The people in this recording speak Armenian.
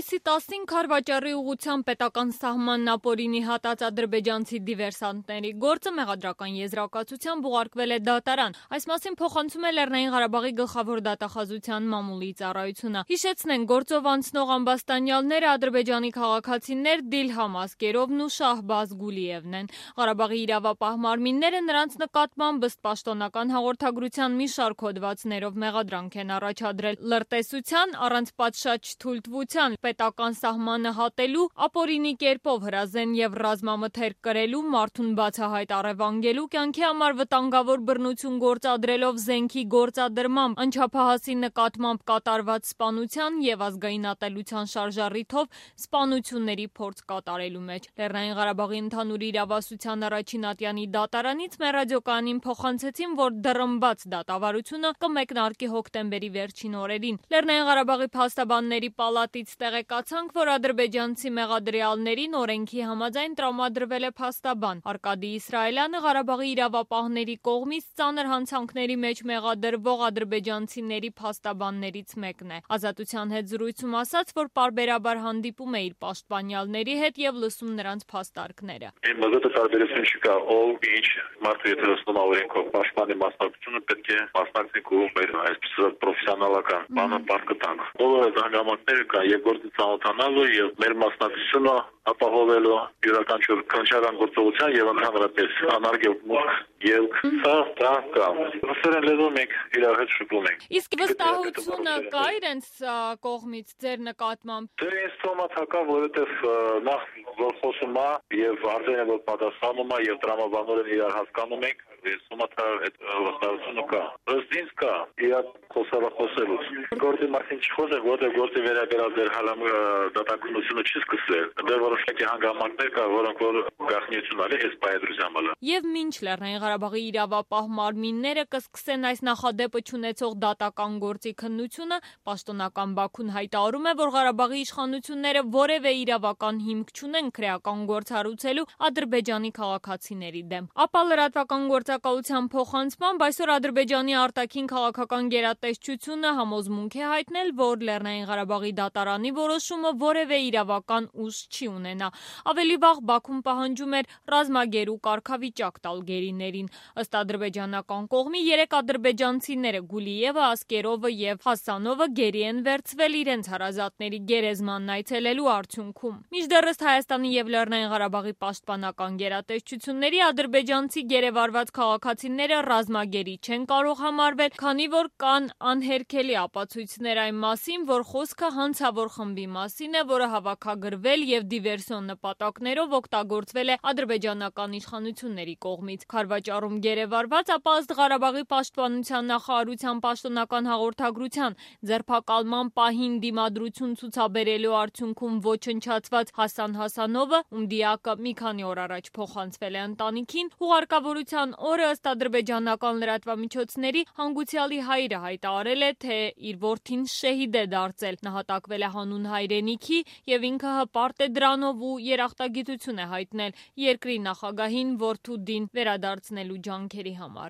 Հուլիսի 10-ին Քարվաճառի ուղղությամբ պետական սահմանն ապօրինի հատած ադրբեջանցի դիվերսանտների գործը մեղադրական եզրակացությամբ ուղարկվել է դատարան։ Այս մասին փոխանցում է Լեռնային Ղարաբաղի գլխավոր դատախազության մամուլի ծառայությունը։ Հիշեցնենք, գործով անցնող ամբաստանյալները ադրբեջանի քաղաքացիներ Դիլհամ Ասկերովն ու Շահբազ Գուլիևն են։ Ղարաբաղի իրավապահ մարմինները նրանց նկատմամբ ըստ պաշտոնական հաղորդագրության մի շարք հոդվածներով մեղադրանք են առաջադրել լրտեսության, առանց պատշաճ թույլտվության, պետական սահմանը հատելու, ապօրինի կերպով հրազեն եւ ռազմամթերք կրելու, մարդուն բացահայտ առևանգելու, կյանքի համար վտանգավոր բռնություն գործադրելով զենքի գործադրմամբ, անչափահասի նկատմամբ կատարված սպանության եւ ազգային ատելության շարժառիթով սպանությունների փորձ կատարելու մեջ։ Լեռնային Ղարաբաղի ընդհանուր իրավասության առաջին ատյանի դատարանից մեր ռադիոկայանին փոխանցեցին, որ դռնբաց դատավարությունը կմեկնարկի հոկտեմբերի վերջին օրերին։ Լեռնային Ղարաբաղի փաստաբանների պալատից տեղեկացանք, որ ադրբեջանցի մեղադրյալներին օրենքի համաձայն տրամադրվել է փաստաբան։ Արկադի Իսրայելյանը Ղարաբաղի իրավապահների կողմից ծանր հանցանքների մեջ մեղադրվող ադրբեջանցիների փաստաբաններից մեկն է։ Ազատության հետ զրույցում ասաց, որ պարբերաբար հանդիպում է իր պաշտպանյալների հետ եւ լսում նրանց փաստարկները։ Տարբերություն չկա, ով ինչ մարդու եթե լսում օրենքով պաշտպանի մասնակցությունը պետք է մասնակցի կողմեր, այսպես պրոֆեսիոնալական բանը բարգտանք։ Բոլորը հանգամանքները կան եւ գործի ծանոթանալու եւ մեր մասնակցությունը ապահովելու յուրաքանչյուր քննչական գործողության եւ ընդհանրապես անարգել եւ սա կա։ Ռուսերեն լեզու մենք իրար հետ շփում ենք։ Իսկ վստահությունը կա իրենց կողմից ձեր նկատմամբ։ Դե ինձ թոմացակա, որովհետեւ նախ որ խոսում է եւ արձանը որ պատասխանում է եւ տրամաբանորեն իրար հասկանում ենք, ես թոմացա այդ վստահությունը կա։ Ըստ ինձ կա, իրար խոսելուց։ Գործի մասին չխոսենք, որտեղ գործի վերաբերյալ դեր հալամ դատականությունը չի սկսել։ Դեռ որոշակի հանգամանքներ կա, որոնք որ գաղտնիություն ալի այս բայդրուզամալը։ Եվ մինչ Լեռնային Ղարաբաղի իրավապահ մարմինները կսկսեն այս նախադեպը չունեցող դատական գործի քննությունը, պաշտոնական Բաքուն հայտարարում է, որ Ղարաբաղի իշխանությունները որևէ իրավական հիմք չունեն քրեական գործ հարուցելու ադրբեջանի քաղաքացիների դեմ։ Ապա լրատվական գործակալության փոխանցմամբ այսօր Ադրբեջանի արտաքին քաղաքական գերատեսչությունը համոզմունք է հայտնել, որ Լեռնային Ղարաբաղի դատարանի որոշումը որևէ իրավական ուժ չի ունենա։ Ավելի վաղ Բաքուն պահանջում էր ռազմագերու կարգավիճակ տալ գերիներին։ Ըստ ադրբեջանական կողմի 3 ադրբեջանցիները Գուլիևը, Ասկերովը եւ Հասանովը գերի են վերցվել իրենց հարազատների գերեզմանն այցելելու արդյունքում։ Մինչդեռ ըստ Հայաստանի եւ Լեռնային Ղարաբաղի պաշտպանական գերատեսչությունների ադրբեջանցի գերեվարված քաղաքացիները ռազմագերի չեն կարող համարվել, քանի որ կան անհերքելի ապացույցներ այն մասին, որ խոսքը հանցավոր խմբի մասին է, որը հավաքագրվել եւ դիվերսիոն նպատակներով օգտագործվել է ադրբեջանական իշխանությունների կողմից։ Քարվաճառում գերեվարված, ապա ըստ Ղարաբաղի պաշտպանության նախարարության պաշտոնական հաղորդագրության ձերբակալման պահին դիմադրություն ցուցաբերելու արդյունքում ոչնչացված Հասան Հասանովը, ում դիակը մի քանի օր առաջ փոխանցվել է ընտանիքին, հուղարկավորության օրը ըստ ադրբեջանական լրատվամիջոցների հանգուցյալի հայրը հայտարարել է, թե իր որդին շեհիդ է դարձել, նահատակվել է հանուն հայրենիքի եւ ինքը հպարտ է դրանով ու երախտագիտություն է հայտնել երկրի նախագահին որդու դին վերադարձնելու ջանքերի համար։